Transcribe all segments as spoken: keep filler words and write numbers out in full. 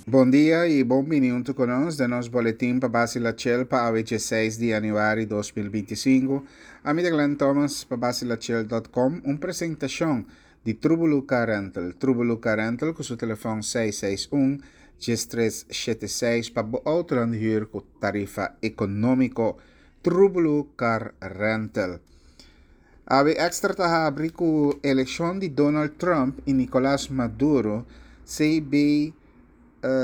Bon dia i bon bini huntu ku nos den nos boletin pa Basi La Chel pa awe diesseis di yanüari dos mil binti i sinku. Ami ta Glenn Thomas pa basilachel dot com, un presentashon di Trubulu Car Rental. Trubulu Car Rental ku su telefòn seis seis un, djes tres shete seis pa bo outonan di hür ku tarifa ekonómiko. Trubulu Car Rental. Awe Extra ta habri ku elekshon di Donald Trump i Nicolas Maduro, C B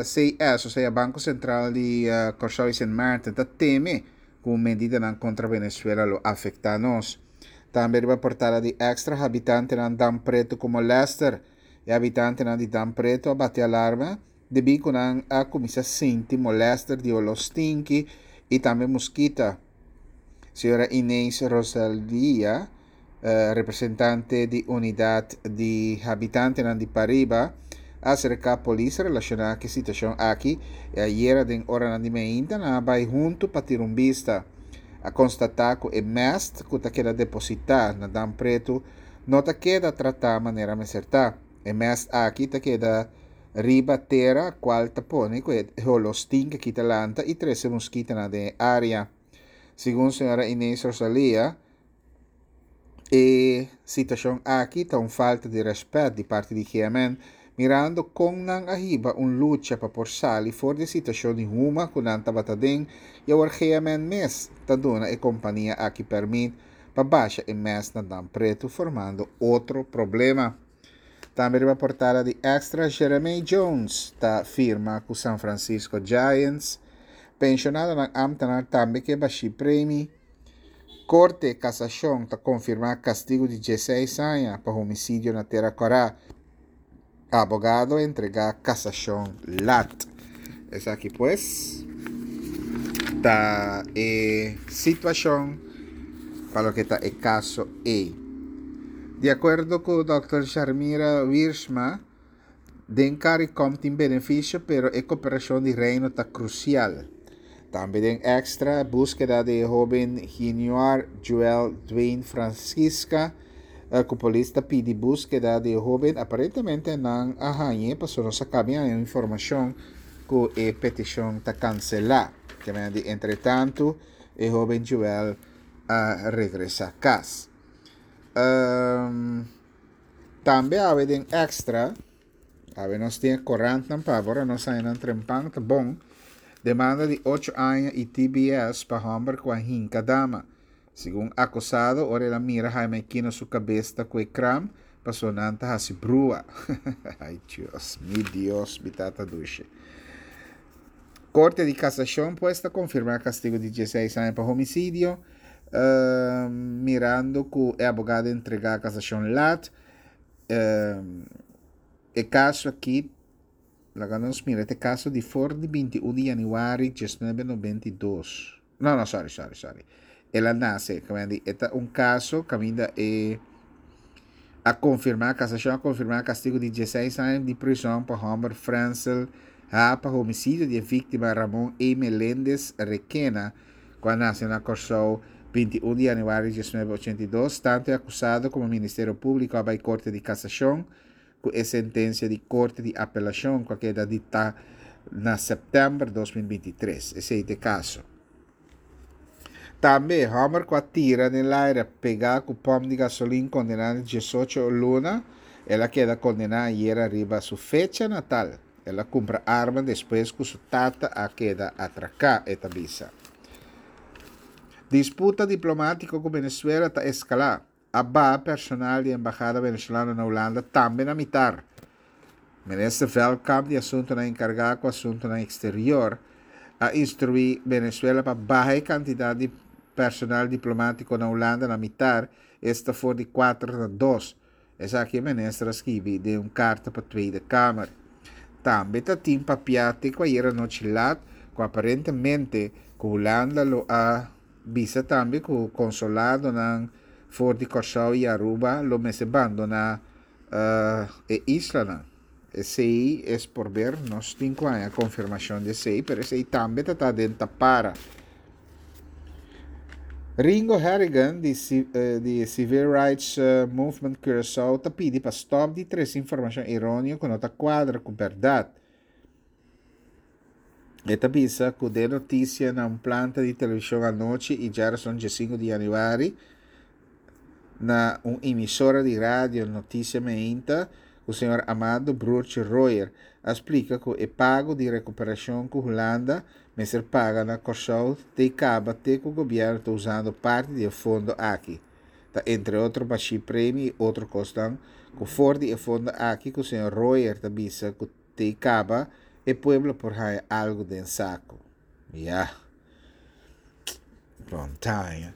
C S, osea Banko Sentral di Kòrsou i Sint Maarten, ta teme ku medidanan kontra Venezuela lo afektá nos. Tambe riba portada di Extra, habitantenan Dam Pretu ku molèster. E habitantenan di Dam Pretu a bati alarma debí ku nan a kuminsá sinti molèster di oló stinki i tambe muskita. Señora Inés Rosalia, representante di unidat di habitantenan di Pariba, a aserká polis relashoná ku e situashon aki i ayera den oranan di meinta nan a bai huntu pa tira un bista. A konstatá ku e mèst ku ta keda depositá na Dam Pretu no ta keda tratá manera mester ta. E mèst aki ta keda riba tera kual ta pone ku e holó stinki aki ta lanta i trese muskitanan den e área. Segun señora Inés Rosalia, e situashon aki ta un falta di rèspèt di parti di G M N, mirando kon nan a hiba un lucha pa por sali for di e situashon di huma ku nan tabata den i awor G M N mes ta duna e kompania aki pèrmit pa basha e mèst na Dam Pretu, formando otro problema. Tambe riba portada di Extra, Jeremy Jones ta firma ku San Francisco Giants. Penshonadonan ámtenar tambe ke bashí premi. Korte Kasashon ta konfirmá kastigu di diesseis aña pa homisidio na Tera Kòrá. Abogado entregá kasashon lat. Esaki pues ta e situashon pa loke ta e kaso ei. Di akuerdo ku dòkter Sharmira Wiersma, den CARICOM tin benefisio, pero e koperashon di Reino ta krusial. Tambe den Extra, búskeda di e hóben Ginoir Joel Dwayne Francisca, ku polis ta pidi búskeda di e hóben, aparentemente nan a hañ'é pasobra nos a kaba haña informashon ku e petishon ta kanselá. Di entretantu e hóben Joel a regresá kas. Um, tambe awe den Extra, awe nos tin korantnan pa ora nos haña nan trempan ta bon. Demanda di ocho aña i T B S pa hòmber ku a hinka dama. Segun akusado, ora el a mira Jaime Aquino su kabes ta ku e kram, paso nan ta hasi brua. Ai Dios, mi Dios, mi tata dushi. Korte di Kasashon pues ta konfirmá kastigu di diesseis aña pa homisidio, uh, mirando ku e abogado a entregá kasashon lat. Uh, e kaso aki, laga nos mira, e kaso di for di binti un di yanüari diesnuebe nobenta i dos. No, no, sorry, sorry, sorry. El a nase, e ta un kaso kaminda e a konfirmá, kasashon a konfirmá kastigu di diesseis aña di prizòn pa hòmber Fransel H. pa homisidio di víktima Ramon E. Melendez Requena, ku a nase na Kòrsou binti un di yanüari diesnuebe ochenta i dos. Tantu e akusado komo Ministerio Públiko a bai Korte di Kasashon ku e sentensia di Korte di Apelashon ku a keda diktá na sèptèmber dos mil binti tres. Esei ta e kaso. Tambe, hòmber ku a tira den laira pegá ku pòmp di gasolin kondená na diesocho luna, el a keda kondená ayera riba su fecha natal. El a kumpra arma despues ku su tata a keda atraká, e ta bisa. Disputa diplomátiko ku Venezuela ta eskalá. A baha personal di embahada venezolano na Hulanda tambe na mitar. Minister Veldkamp di Asuntunan enkargá ku Asuntunan Eksterior a instruí Venezuela pa baha e kantidat di personal diplomátiko na Hulanda na mitar, esta for di kuater na dos. Esaki e minister a skibi den un karta pa Tweede Kamer. Tambe ta tin papiá te ku ayera nochi lat ku aparentemente ku Hulanda lo a bisa tambe ku konsuladonan for di Kòrsou i Aruba lo mester bandoná e islanan. Esei es por ber, nos tin ku haña konfirmashon di esei, pero esei tambe ta ta den tapara. Ringo Harrigan di, di Civil Rights Movement Curaçao ta pidi pa stòp di trese informashon eróneo ku no ta kuadra ku bèrdat. E ta bisa ku den notisia na un planta di televishon anochi i djárason diesinku di yanüari na un emisora di radio Noticia Meinta ku señor Amado Broertje Royer a splika ku e pago di rekuperashon ku Hulanda mester paga na Kòrsou te kaba te ku gobièrnu ta usando parti di e fondo aki. Ta entre otro bashí premi i otro kosnan ku for di e fondo aki ku señor Royer ta bisa ku te kaba e pueblo por haña algu den saku. Ya. Bon taña.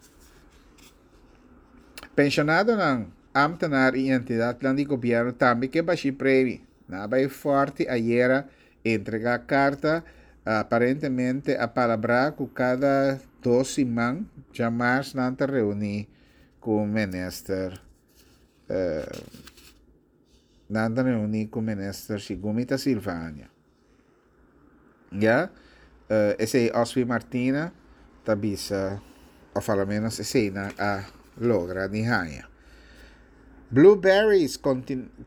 Penshonadonan, ámtenar i entidatnan di gobièrnu tambe ke bashí premi. Nan a bai Fòrti ayera entregá karta, aparentemente a palabrá ku kada dos siman djamars nan ta reuní ku minister nan ta reuní ku minister Shigumita Silvania. Ya, esei Oswy Martina ta bisa, òf alomenos esei nan a logra di haña. Blueberries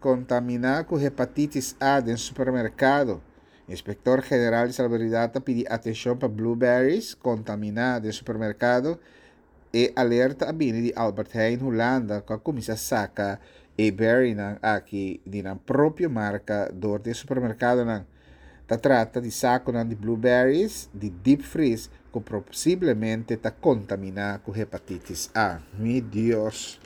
kontaminá ku hepatitis A den supermerkado. Inspektor General di Salubridat ta pidi atenshon pa blueberries kontaminá den supermerkado. E alerta a bini di Albert Heijn Hulanda ku a kuminsá saka e berrynan aki di nan propio marka dor di e supermerkadonan. Ta trata di sakonan di blueberries di deep freeze ku posiblemente ta kontaminá ku hepatitis A. Mi Dios!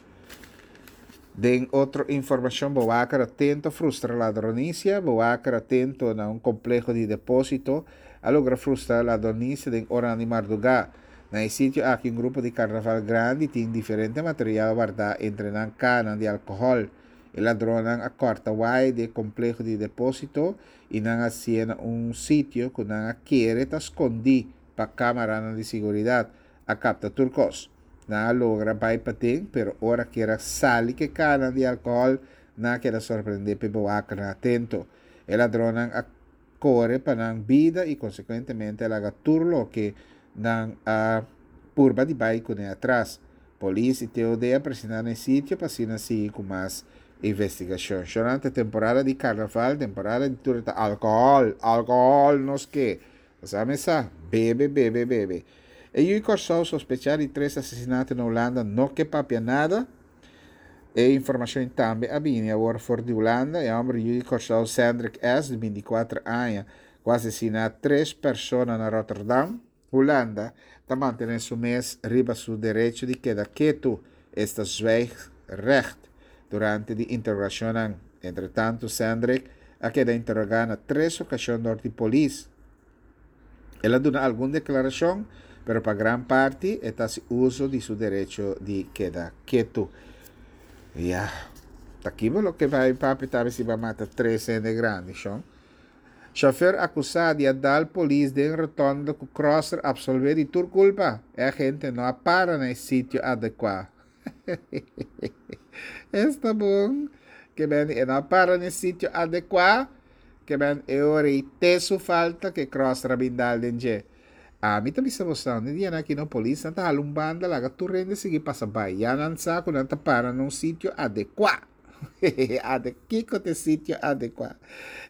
Den otro informashon Bowaker atento frustra ladronisia Bowaker atento na un kompleho di depósito a logra frustra ladronisia den oranan di mardugá. Na e sitio aki un grupo di karnaval grandi tin diferente material wardá entre nan kanan di alkohòl. E ladronnan a kòrta waya di e kompleho di depósito i nan a hasié na un sitio ku nan a kere ta skondí pa kámaranan di siguridat a kapta tur kos. Nan a logra bai paden, pero ora kier a sali ku e kanan di alkohòl, nan a keda sorprendé p'e bewakernan atento. E ladronnan a kore pa nan bida i konsekuentemente a laga tur loke nan a purba di bai kuné atras. Polis i T O D a presentá na e sitio pa asina sigui ku mas investigashon. Shorante temporada di karnaval, temporada di tur ta alkohòl, alkohòl nos ke. Sa mesa, bebe, bebe, bebe. E yu di Kòrsou sospechá di tres asesinato na Hulanda no ke papia nada. E informashon tambe a bini awor for di Hulanda. E hòmber yu di Kòrsou Sandrick S. di binti kuater aña ku a asesiná tres persona na Rotterdam, Hulanda, ta mantené su mes riba su derecho di keda ketu, esta zwijgrecht, durante di interogashonnan. Entretantu Sandrick a keda interogá na tres okashon dor di polis. El a duna algun deklarashon, pero pa gran parti e ta hasi uso di su derecho di keda ketu. Ya, ta kibo loke bai papia ta si ba mata tres hende grandi, shon. Chauffeur akusá di a dal polis den rotonde ku crosser absolvé di tur kulpa. E agente no a para na e sitio adekuá. Esta bon. Ke men e no a para na e sitio adekuá. Ke men e ora ei te su falta ke crosser a bin dal den dje. Ami ta bisa boso, ni dia aki no polis nan ta hala un banda laga tur hende sigui pasa bai. Ya nan sa ku nan ta para na un sitio adekuá. Ade kiko te sitio adekuá.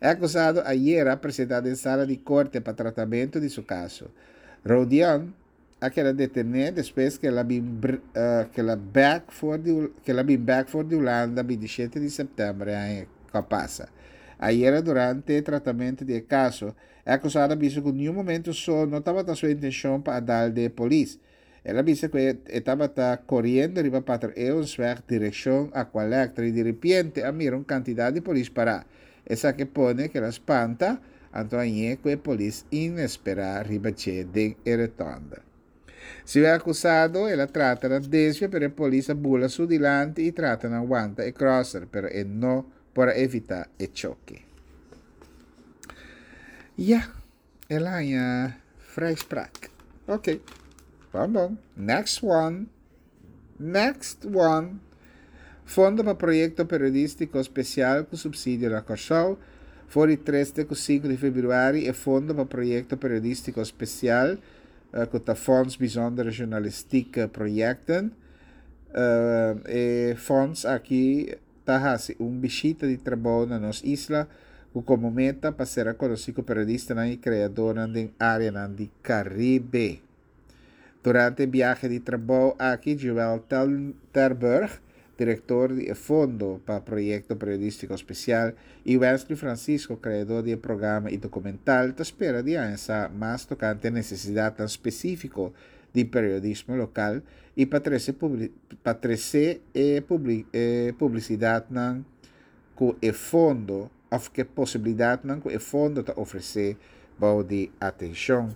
E akusado ayera a presentá den sala di korte pa tratamentu di su kaso. Rodion a keda detené despues ku el a bin ku el a bèk for di ku el a bin bèk for di Hulanda bintishete di sèptèmber e aña ku a pasa. Ayera durante e tratamentu di e kaso, e akusado a bisa ku niun momentu so no tabata su intenshon pa a dal den e polis. El a bisa ku e tabata koriendo riba Pater Eeuwensweg direkshon Aqualectra i diripiente a mira un kantidat di polis pará. Esaki a pone ku el a spanta, anto a ñe ku e polis inesperá riba dje den e retònde. Segun e akusado, el a trata na desvia pero e polis a bula su dilanti i trata na wanta e crosser, pero e no por a evitá e choke. Ya, el a haña vrijspraak. Ok, bon bon. Next one. Next one. Fondo pa proyekto periodístiko spesial ku supsidio na Kòrsou. For di tres te ku sinku di febrüari e Fondo pa Proyekto Periodístiko Spesial ku ta Fonds Bijzondere Journalistieke Projecten. E fonds aki ta hasi un bishita di trabou na nos isla ku komo meta pa sera konosí ku periodistanan i kreadónan den áreanan di Karibe. Durante e biahe di trabou aki Joël Terburg, direktor di e Fondo pa Proyekto Periodístiko Spesial, i Wesley Francisco, kreadó di e programa i dokumental, ta spera di haña sa mas tokante e nesesidatnan spesífiko di periodismo lokal i pa trese pa trese e e publisidatnan ku e fondo òf ku e posibilidatnan ku e fondo ta ofresé bou di atenshon.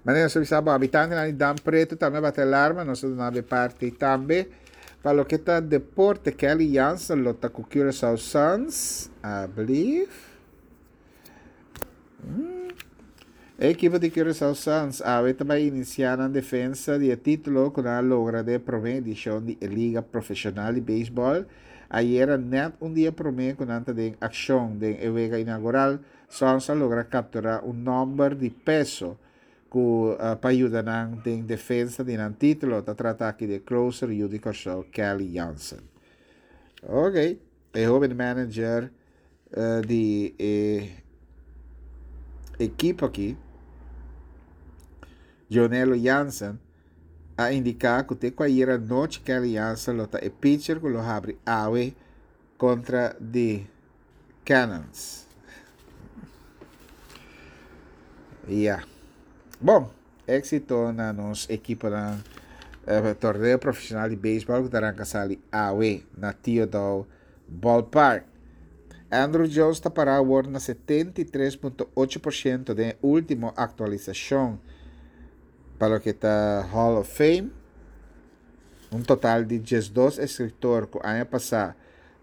Manera nos a bisa bo, habitantenan di Dam Pretu tambe a bati alarma, nos a duna bo e parti tambe. Pa loke ta deporte, Kelly Jansen lo ta ku Curaçao Suns, I believe. E ekipo di Curaçao Suns awe ta bai inisiá nan defensa di e título ku nan a logra den e promé edishon di e liga profeshonal di beisbòl. Ayera nèt un dia promé ku nan ta den akshon den e wega inaugural, Suns a logra kapturá un nòmber di peso ku pa yuda nan den defensa di nan título. Ta trata aki di e closer yu di Kòrsou Kelly Jansen. Oké, e hóben manager di e ekipo aki, Gionelo Jansen, a indiká ku te ku ayera nochi Kelly Jansen lo ta e pitcher ku lo habri awe kontra di Cannons. Ya. Bon, éksito na nos ekiponan torneo profeshonal di beisbòl ku ta ranka sali awe na Theodore Ballpark. Andruw Jones ta pará awor na setenta i tres punto ocho por shento den e último aktualisashon pa loke ta Hall of Fame. Un total di diesdos eskritor ku aña pasá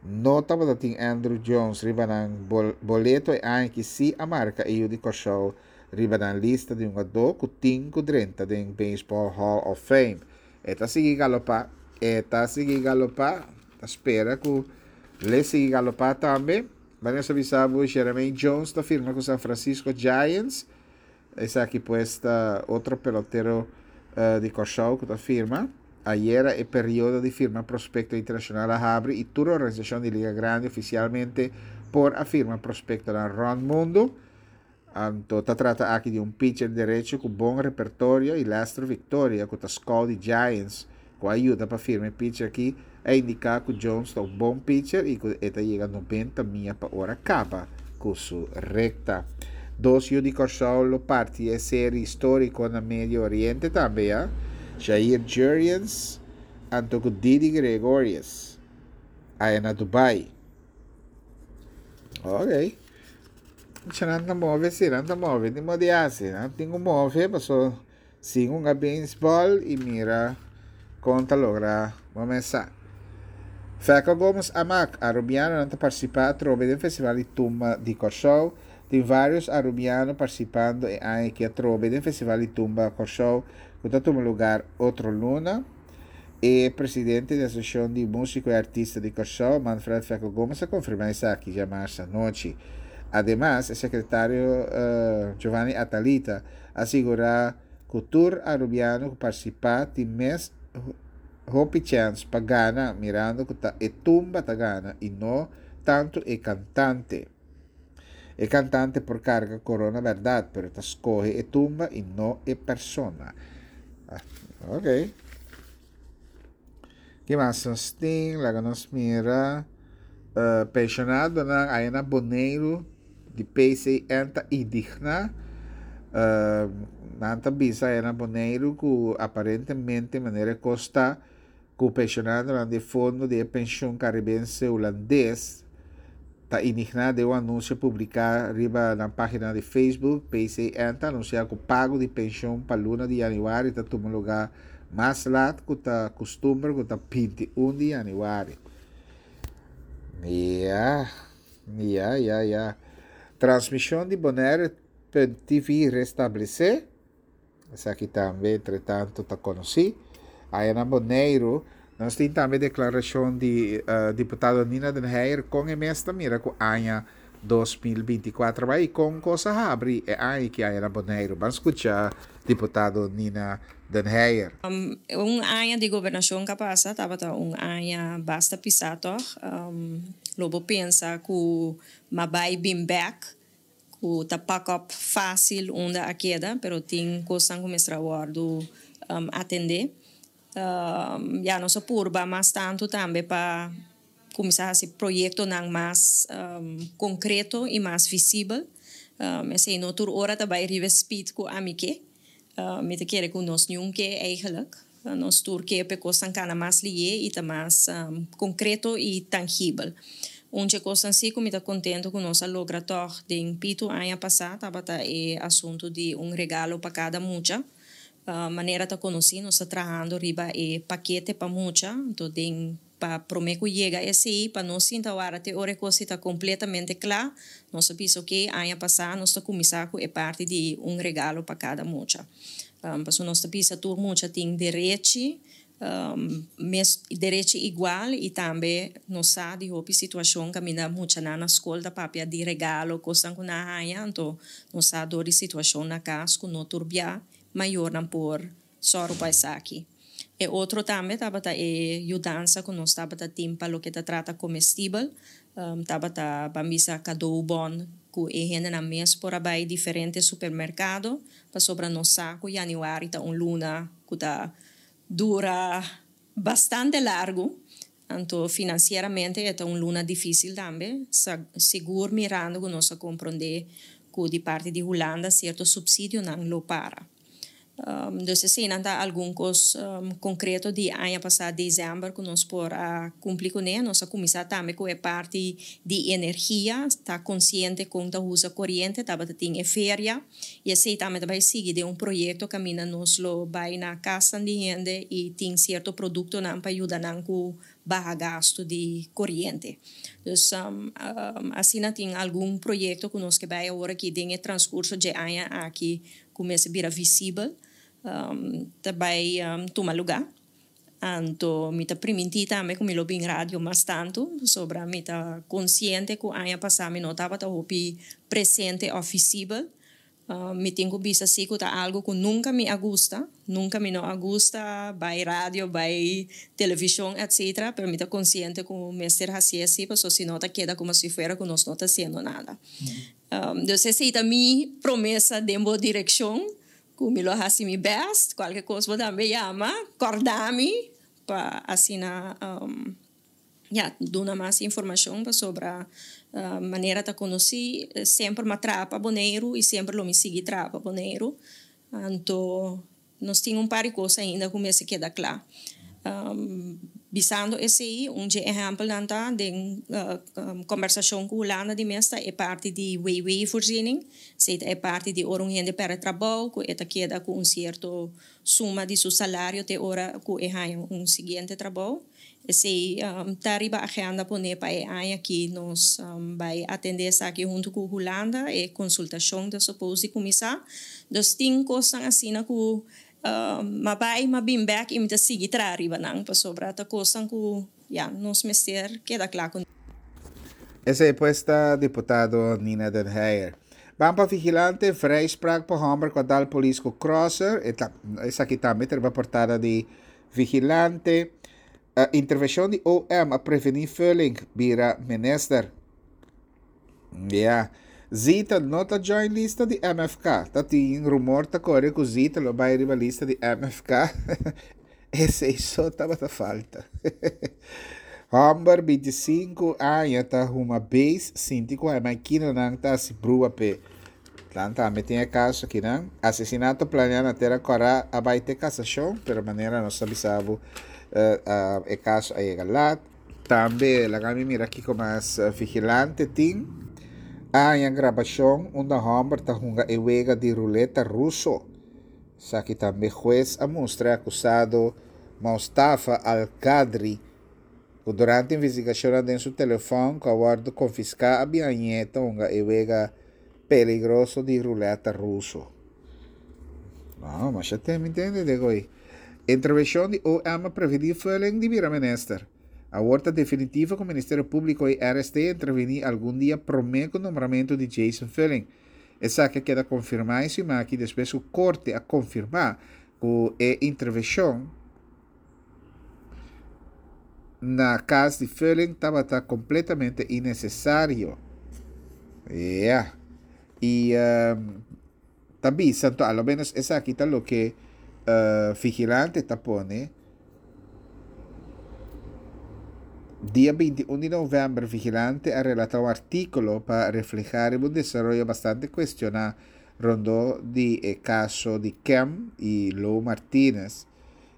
no tabata tin Andruw Jones riba nan boleto e aña aki sí a marka e yu di Kòrsou riba nan lista di hungadó ku tin ku drenta den Baseball Hall of Fame. E ta sigui galopá, e ta sigui galopá, ta spera ku l'e sigui galopá tambe. Manera nos a bisa bo, Jermaine Jones ta firma ku San Francisco Giants. Esaki pues ta otro pelotero di Kòrsou ku ta firma. Ayera e periodo di firma prospekto internashonal a habri i tur organisashon di Liga Grandi ofisialmente por a firma prospektonan rònt mundu. Anto ta trata aki di un pitcher derecho ku bon repertorio i Lester Victoria ku ta scout di Giants ku a yuda pa firma e pitcher aki a indiká ku Jones ta un bon pitcher i ku e ta yega nobenta mia pa ora kaba ku su rekta. Dos yu di Kòrsou lo parti e seri históriko na Medio Oriente tambe ya, Jair Jurrjens anto ku Didi Gregorius aya na Dubai. Ok. Mucha nan ta move si, nan ta move, tin mo di hasi, nan tin ku move paso sin hunga beisbòl i mira kon ta logra bo mes sa. Feco Gomez Amak, Arubianonan ta partisipá atrobe den Festival di Tumba di Kòrsou. Tin vários arubiano partisipando e aña aki atrobe den Festival di Tumba Kòrsou ku ta tuma lugar otro luna. E presidente di Asosiashon di Músiko i Artista di Kòrsou, Manfred Feco Gomez a konfirmá esaki djamars anochi. Ademas, e sekretario Giovanni Atalita a sigurá ku tur arubiano ku partisipá tin mes hopi chèns pa gana mirando ku ta e tumba ta gana i no tantu e kantante. E kantante por karga korona bèrdat, pero ta skohe e tumba i no e persona. Ok. Ki mas nos tin? Laga nos mira. Penshonadonan aya na Boneiru di P C N ta indigná. Nan ta bisa aya na Boneiru ku aparentemente manera e kos ta ku penshonadonan di e fondo di e penshun karibense hulandes ta indigná den un anunsio publiká riba nan página di Facebook. P C N ta anunsiá ku pago di penshun pa luna di yanüari ta tuma lugá mas lat ku ta kustumber ku ta binti un di yanüari. Ya, ya, ya, ya. Transmishon di Bonaire punt T V restablesé. Esaki tambe entretanto ta konosí. Aya na Boneiru nos tin tambe deklarashon di diputado Nina den Heyer kon e mes ta mira ku aña dos mil binti i kuater bai kon kos a habri e aña ki aya na Boneiru. Ban skucha diputado Nina Den Heyer. Um, un aña di gobernashon ku pasa tabata un aña basta pisá toch. Um, lo bo pensa ku m'a bai bin bèk, ku ta pak op fásil unda a keda, pero tin kos ku mester wòrdu um, atendé. Um, ja, nos a purba mas tantu tambe pa kuminsá hasi proyektonan mas um, konkreto i mas visibel. Um, esei no tur ora ta bai riba speed ku ami ke. Uh, mi ta kere ku nos niun ke eigenlijk. Uh, nos tur ke pa kosnan kana mas lihé i ta mas um, konkreto i tangibel. Un di e kosnan sí ku mi ta kontentu ku nos a logra toch den pitu aña pasá tabata e asuntu di un regalo pa kada mucha. Uh, manera ta konosí, nos ta trahando riba e pakete pa mucha, anto den pa promé ku yega esei, pa no sinta warda te ora e kos ta kompletamente kla, nos a bisa ku aña pasá nos a kuminsá ku e parti di un regalo pa kada mucha. Um, paso nos ta bisa tur mucha tin derechi, um, mes derechi igual i tambe nos sa di hopi situashon kaminda muchanan na skol ta papia di regalo, kosnan ku nan a haña, anto nos sa dor di situashon na kas ku no tur bia mayornan por sòru pa esaki. E otro tambe tabata e yudansa ku nos tabata tin pa loke ta trata komestibel, um, tabata ban bisa cadeaubon ku e hendenan mes por a bai diferente supermerkado, pasobra nos sa ku yanüari ta un luna ku ta dura bastante largu, anto finansieramente e ta un luna difísil tambe, sigur mirando ku nos a komprondé ku di parti di Hulanda sierto supsidionan lo para. Um, dus eseinan ta algun kos um, konkreto di aña pasá desèmber ku nos por a kumpli kuné. Nos a kuminsá tambe ku e parti di energia, ta konsiente kon ta usa koriente, tabata tin e feria i esei tambe ta bai sigui den un proyekto kaminda nos lo bai na kas di hende i tin sierto produktonan pa yuda nan ku baha gastu di koriente. Dus um, um, asina tin algun proyekto ku nos ke bai awor aki den e transkurso di aña aki kuminsá bira visibel, um, ta bai um, tuma lugá. Anto mi ta primintí tambe ku mi lo bin radio mas tantu, pasobra mi ta konsiente ku aña pasá mi no tabata hopi presente òf visibel. Uh, mi tin ku bisa sí ku ta algu ku nunka mi a gusta, nunka mi no a gusta bai radio, bai televishon, et cetera. Pero mi ta konsiente ku mester hasi asina, pasobra si no ta keda komo si fuera ku nos no ta hasiendo nada. Um, dus esei ta mi promesa den bo direkshon, ku mi lo hasi mi best, kualke kos bo tambe yama, kòrda mi, pa asina um, ja, duna mas informashon sobre uh, manera ta konosí, semper m'a traha pa Boneiru i semper lo mi sigui traha pa Boneiru. Anto, nos tin un par di kos ainda ku mester keda kla. Um, bisando esei, un ehèmpel ta di uh, um, kombersashon ku Hulanda di mes ta e parti di W W-voorziening, esei e parti di ora un hende pèrdè trabou, ku e ta keda ku un sierto suma di su salario te ora ku e haña un siguiente trabou. Esei um, ta riba agenda pone pa e aña aki nos um, bai atendé esaki huntu ku Hulanda e konsultashon ta suppose kuminsá. Dus tin kosnan asina ku uh, m'a bai m'a bin bèk i mi ta sigui traha riba nan pasobra ta kosnan ku ja, nos mester keda kla ku. Esei pues ta diputado Nina Den Heyer. Ban pa Vigilante, vrijspraak pa hòmber ku a dal polis ku crosser. Esaki tambe ta riba portada di Vigilante. Uh, intervenshon di O M a prevení Fulling bira minister. Ja. Zita no ta join lista di M F K. Ta tin rumor ta kore ku Zita lo bai riba lista di M F K. Esei so tabata falta. Hòmber bintisinku aña ta huma base sinti ku e makinanan ta hasi brua pe. Lan tambe tin e kaso akinan. Asesinato planiá na Tera Kòrá a bai te kasashon, pero manera nos a bisa bo uh, uh, e kaso a yega lat. Tambe laga mi mira kiko mas uh, Vigilante tin. A haña grabashon unda hòmber ta hunga e wega di ruleta ruso. Esaki tambe hues a mustra akusado Mustafa Al-Qadri ku durante investigashon den su telefòn ku a wòrdu konfiská a bin ta hunga e wega peligroso di ruleta ruso. No, mas ya tin, entendé, goi. Intervenshon di O M a prevení Fulling di bira minister. Awor ta definitivo ku Ministerio Públiko i R S T a intervení algun dia promé ku nombramentu di Jason Fullin. Esaki a keda konfirmá e siman aki despues ku korte a konfirmá ku e intervenshon na kas di Fullin tabata kompletamente innesesario. Yeah. I um, ta bisa, anto, alo menos esaki ta loke uh, Vigilante ta pone. Dia binti un di novèmber, Vigilante a relatá un artíkulo pa reflehá un desaroyo bastante kuestioná rondó di e kaso di Kem i Lo Martinez.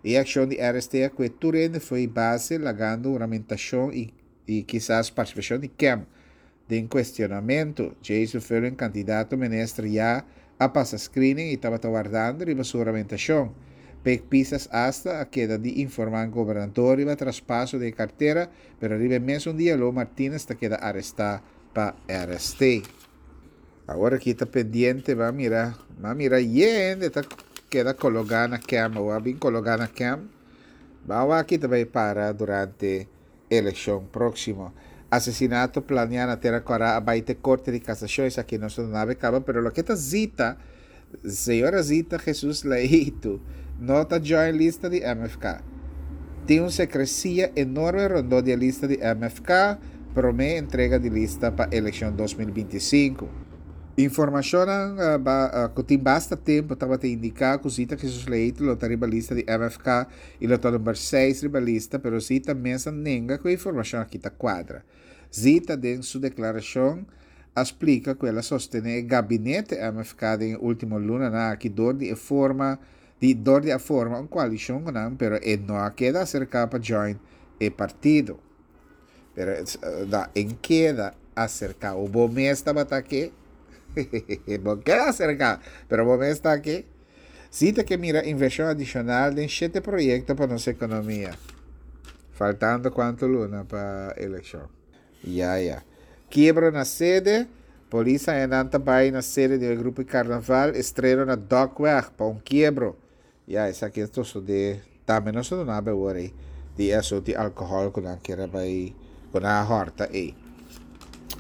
E akshon di R S T ku tur hende fo'i base, lagando huramentashon i, i kisas partisipashon di Kem den kuestionamentu. Jason Fullin, kandidato minister, ya a pasa screening i tabata wardando riba su huramentashon. Pek Pisas hasta a keda di informá gobernador riba traspaso di kartera, pero riba mesun dia Lo Martinez ta keda arestá pa R S T. Awor aki ta pendiente, ban mira, ban mira yende ta keda kologá na Kem, òf bin kologá na Kem. Ban aki tambe para durante elekshon próksimo. Asesinato planiá na Tera Kòrá a bai te Korte di Kasashon, esaki nos no a kaba, pero loke ta Zita, señora Zita Jesus Leito, no ta join lista di M F K. Tin un sekresia enorme rondó di lista di M F K, promé entrega di lista pa elekshon dos mil bintisinku. Informashon uh, ba, uh, ku tin basta tempu tabata indiká ku Zita Jesus Leito lo ta riba lista di M F K i lo ta number seis riba lista, pero Zita mes a nenga ku e informashon aki ta kuadra. Zita, den su deklarashon, a splika ku el a sostené gabinete M F K den último lunanan aki dor di forma di dor di a forma un koalishon ku nan, pero e no a keda aserká pa join e partido. Pero da en keda aserká. O bo mes tabata ke? Bo keda aserká, pero bo mes ta ke? Zita ke mira invershon adishonal den shete proyekto pa nos ekonomia. Faltando kuantu luna pa elekshon? Ya, ya. Kiebro na sede. Polis a bai na sede di grupo Karnaval, estreno na Dokweg pa un kiebro. Ya, esaki ta di tambe no sa nada awor di asuntu di alkohòl ku nan ker bai ku nan a hòrta ei.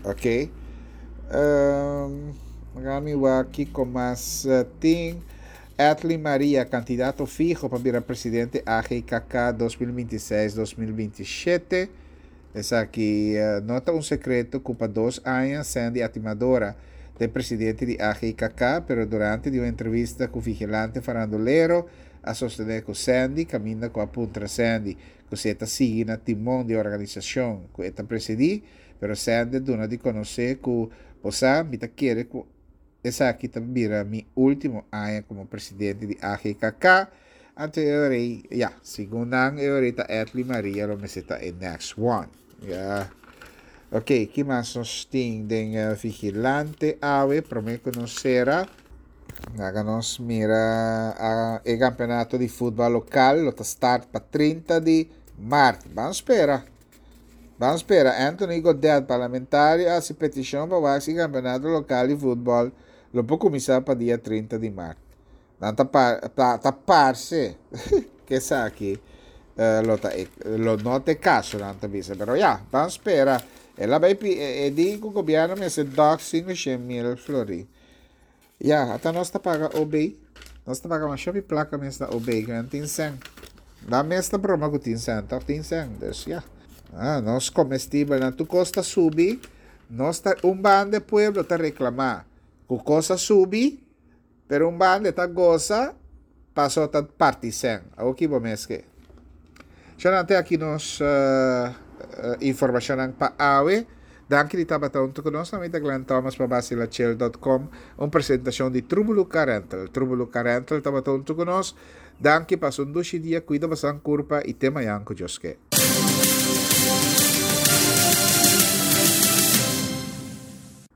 Ok. Um, Gami wak kiko mas tin. Atley Maria, kandidato fiho pa bira presidente A G K K dos mil bintiseis-dos mil bintishete. Esaki uh, no ta un sekreto ku pa dos aña Sandy Atimadora ta presidente di A G K K, pero durante di un entrevista ku Vigilante Farandulero a sostené ku Sandy, kaminda ku a puntra Sandy, ku si e ta sigui na timon di organisashon ku e ta presidí, pero Sandy a duna di konosé ku bo sa, mi ta kere ku esaki ta bira mi último aña komo presidente di A G K K. Anto ya, segun nan ahorita Atley Maria lo mester ta e next one. Ya. Ok, ki mas nos tin den uh, Vigilante awe, promé ku nos sera? Laga nos mira uh, e kampeonato di futbòl lokal, lo start pa trinta di mart. Ban spera. Ban spera. Anthony Godett, parlamentario, a hasi petishon pa e kampeonato lokal di futbòl lo por kuminsá pa dia trinta di mart. Nan ta ta, ta parse ku esaki uh, lo ta lo no ta kaso nan ta bisa, pero ya, ban spera. El a bai e di ku gobièrnu mester dòk sinku mil florin. Ya, ata nos ta paga O B. Nos ta paga masha plaka mes na O B, ku no tin sèn. Da mes ta broma ku tin sèn, toch tin sèn. Dus ja. Ah, nos komestibelnan tur kos ta subi, nos ta un banda pueblo ta reklamá ku kos a subi, pero un banda ta gosa, paso ta parti sèn. Oké, bo mes ke. Te aki nos uh, uh, informashon pa awe. Danki di tabata huntu ku nos. Ami ta Glenn Thomas pa basilachel punto com. Un presentashon di Trubulu Rental. Trubulu Rental tabata huntu ku nos. Danki, pasa un dushi dia, kuida bo kurpa i te mañan ku Dios ke.